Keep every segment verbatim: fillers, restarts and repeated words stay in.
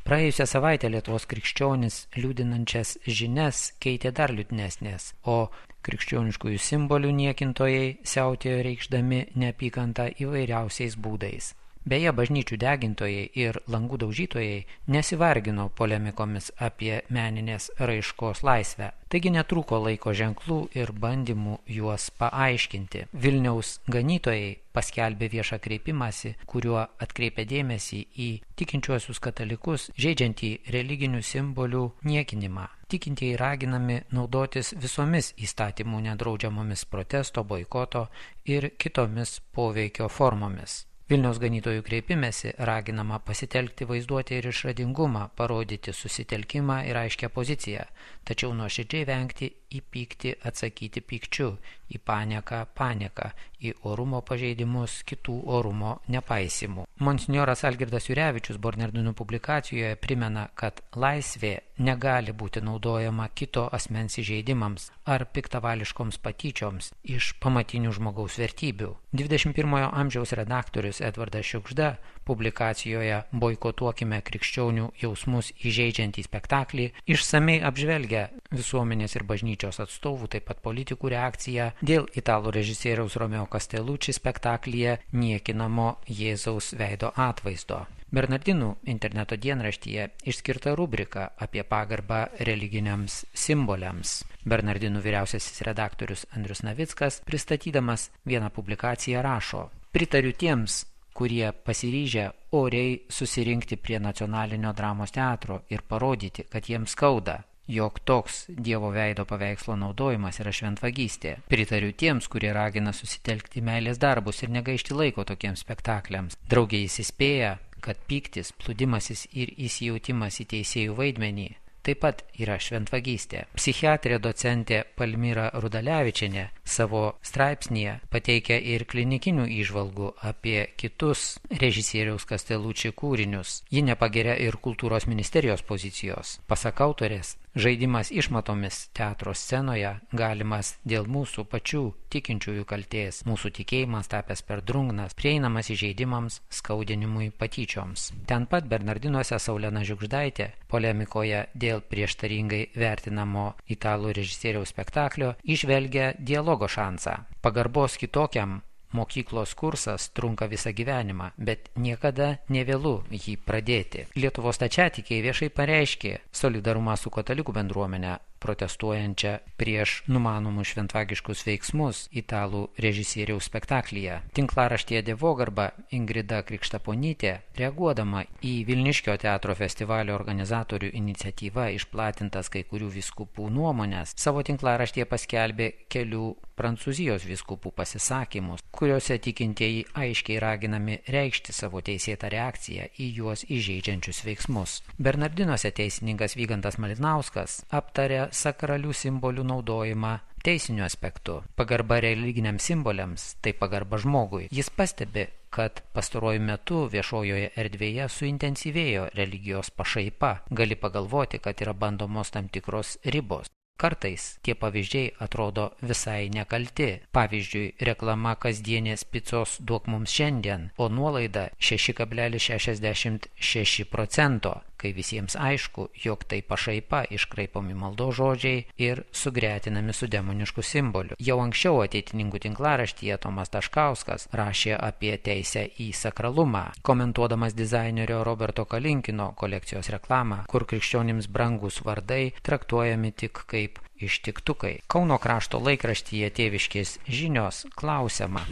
Praėjusią savaitę Lietuvos krikščionis liūdinančias žinias keitė dar liūdnesnės, o krikščioniškųjų simbolių niekintojai siautėjo reikšdami neapykantą įvairiausiais būdais. Beje, bažnyčių degintojai ir langų daužytojai nesivargino polemikomis apie meninės raiškos laisvę, taigi netrūko laiko ženklų ir bandymų juos paaiškinti. Vilniaus ganytojai paskelbė viešą kreipimąsi, kuriuo atkreipė dėmesį į tikinčiuosius katalikus žeidžiantį religinių simbolių niekinimą. Tikintieji raginami naudotis visomis įstatymų nedraudžiamomis protesto, boikoto ir kitomis poveikio formomis. Vilniaus ganytojų kreipimėsi raginama pasitelkti vaizduotę ir išradingumą, parodyti susitelkimą ir aiškią poziciją, tačiau nuoširdžiai vengti į pyktį atsakyti pykčiu, į panieką panieką, į orumo pažeidimus kitų orumo nepaisimų. Monsinjoras Algirdas Jurevičius Bernardinų publikacijoje primena, kad laisvė negali būti naudojama kito asmens įžeidimams ar piktavališkoms patyčioms iš pamatinių žmogaus vertybių. dvidešimt pirmojo amžiaus redaktorius Edvardas Šiugžda publikacijoje Boikotuokime krikščionių jausmus įžeidžiantį spektaklį išsamei apžvelgia visuomenės ir bažnyčios atstovų, taip pat politikų reakciją dėl italų režisieriaus Romeo Castellucci spektaklyje niekinamo Jėzaus veido atvaizdo. Bernardinų interneto dienraštyje išskirta rubrika apie pagarbą religiniams simboliams. Bernardinų vyriausiasis redaktorius Andrius Navickas, pristatydamas vieną publikaciją, rašo: Pritariu tiems, kurie pasiryžę oriai susirinkti prie Nacionalinio dramos teatro ir parodyti, kad jiems skauda, jog toks Dievo veido paveikslo naudojimas yra šventvagystė. Pritariu tiems, kurie ragina susitelkti meilės darbus ir negaišti laiko tokiems spektakliams. Drauge jis įspėja, kad pyktis, plūdimasis ir įsijautimas į teisėjų vaidmenį taip pat yra šventvagystė. Psichiatrė docentė Palmira Rudalevičienė savo straipsnyje pateikia ir klinikinių įžvalgų apie kitus režisieriaus Castellucci kūrinius. Ji nepageria ir kultūros ministerijos pozicijos. Pasak autorės, žaidimas išmatomis teatro scenoje galimas dėl mūsų pačių tikinčiųjų kaltės, mūsų tikėjimas tapęs per drungnas, prieinamas įžeidimams, skaudinimui, patyčioms. Ten pat Bernardinuose Saulena Žiugždaitė polemikoje dėl prieštaringai vertinamo italų režisieriaus spektaklio įžvelgia dialogo šansą. Pagarbos kitokiam mokyklos kursas trunka visą gyvenimą, bet niekada nevėlu jį pradėti. Lietuvos stačiatikiai viešai pareiškė solidarumą su katalikų bendruomenė, protestuojančią prieš numanomus šventvagiškus veiksmus italų režisieriaus spektaklyje. Tinklaraštyje Dievogarba Ingrida Krikštaponytė, reaguodama į Vilniškio teatro festivalio organizatorių iniciatyvą išplatintas kai kurių vyskupų nuomonės, savo tinklaraštyje paskelbė kelių Prancūzijos vyskupų pasisakymus, kuriuose tikintieji aiškiai raginami reikšti savo teisėtą reakciją į juos įžeidžiančius veiksmus. Bernardinuose teisininkas Vygantas Malinauskas aptarė sakralių simbolių naudojimą teisiniu aspektu. Pagarba religiniams simboliams tai pagarba žmogui. Jis pastebi, kad pastaruoju metu viešojoje erdvėje suintensyvėjo religijos pašaipa. Gali pagalvoti, kad yra bandomos tam tikros ribos. Kartais tie pavyzdžiai atrodo visai nekalti. Pavyzdžiui, reklama kasdienės picos duok mums šiandien, o nuolaida šeši kablelis šešiasdešimt šeši procento, kai visiems aišku, jog tai pašaipa, iškraipomi maldos žodžiai ir sugretinami su demonišku simboliu. Jau anksčiau ateitininkų tinklaraštyje Tomas Taškauskas rašė apie teisę į sakralumą, komentuodamas dizainerio Roberto Kalinkino kolekcijos reklamą, kur krikščionims brangus vardai traktuojami tik kaip ištiktukai. Kauno krašto laikraštyje Tėviškės žinios klausiama,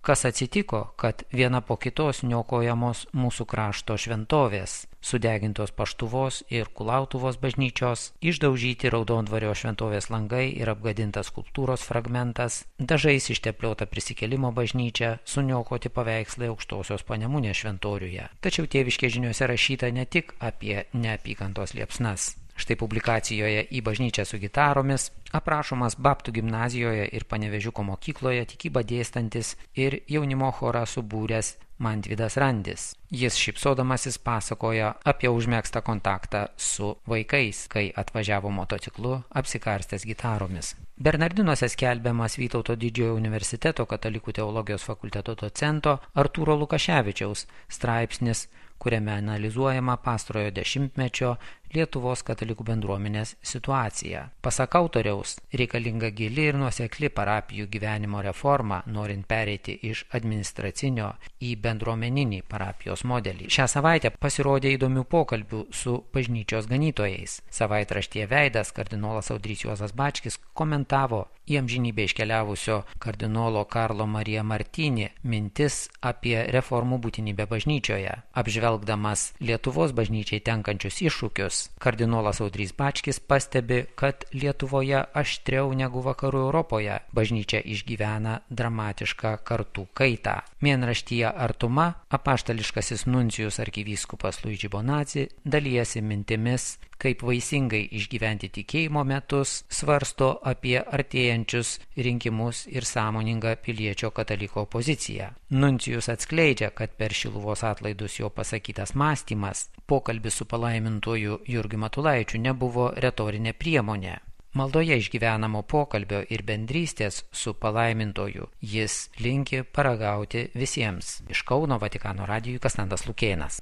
kas atsitiko, kad viena po kitos niokojamos mūsų krašto šventovės, sudegintos Paštuvos ir Kulautuvos bažnyčios, išdaužyti Raudondvario šventovės langai ir apgadintas skulptūros fragmentas, dažais ištepliota Prisikėlimo bažnyčia, suniokoti paveikslai Aukštosios Panemunės šventoriuje. Tačiau Tėviškės žiniose rašyta ne tik apie neapykantos liepsnas. Štai publikacijoje Į bažnyčią su gitaromis aprašomas Baptų gimnazijoje ir Panevėžiuko mokykloje tikybą dėstantis ir jaunimo chorą subūręs Mantvydas Randis. Jis šypsodamasis pasakoja apie užmegztą kontaktą su vaikais, kai atvažiavo motociklu apsikarstęs gitaromis. Bernardinuose skelbiamas Vytauto Didžiojo universiteto katalikų teologijos fakulteto docento Artūro Lukaševičiaus straipsnis, kuriame analizuojama pastarojo dešimtmečio Lietuvos katalikų bendruomenės situacija. Pasak autoriaus, reikalinga gili ir nuosekli parapijų gyvenimo reforma, norint pereiti iš administracinio į bendruomeninį parapijos modelį. Šią savaitę pasirodė įdomių pokalbių su bažnyčios ganytojais. Savaitraštyje Veidas kardinolas Audrys Juozas Bačkis komentavo į amžinybę iškeliavusio kardinolo Karlo Marija Martini mintis apie reformų būtinybę bažnyčioje. Apžvelgdamas Lietuvos bažnyčiai tenkančius iššūkius, kardinolas Audrys Bačkis pastebi, kad Lietuvoje aštriau negu vakarų Europoje bažnyčia išgyvena dramatišką kartų kaitą. Mėnraštyje Artuma apaštališkasis nuncijus arkivyskupas Luigi Bonazzi dalijasi mintimis, kaip vaisingai išgyventi tikėjimo metus, svarsto apie artėjančius rinkimus ir sąmoningą piliečio kataliko poziciją. Nuncijus atskleidžia, kad per Šiluvos atlaidus jo pasakytas mąstymas, pokalbis su palaimintuoju Jurgiu Matulaičiu nebuvo retorinė priemonė. Maldoje išgyvenamo pokalbio ir bendrystės su palaimintoju jis linki paragauti visiems. Iš Kauno Vatikano radijui Kastantas Lukėnas.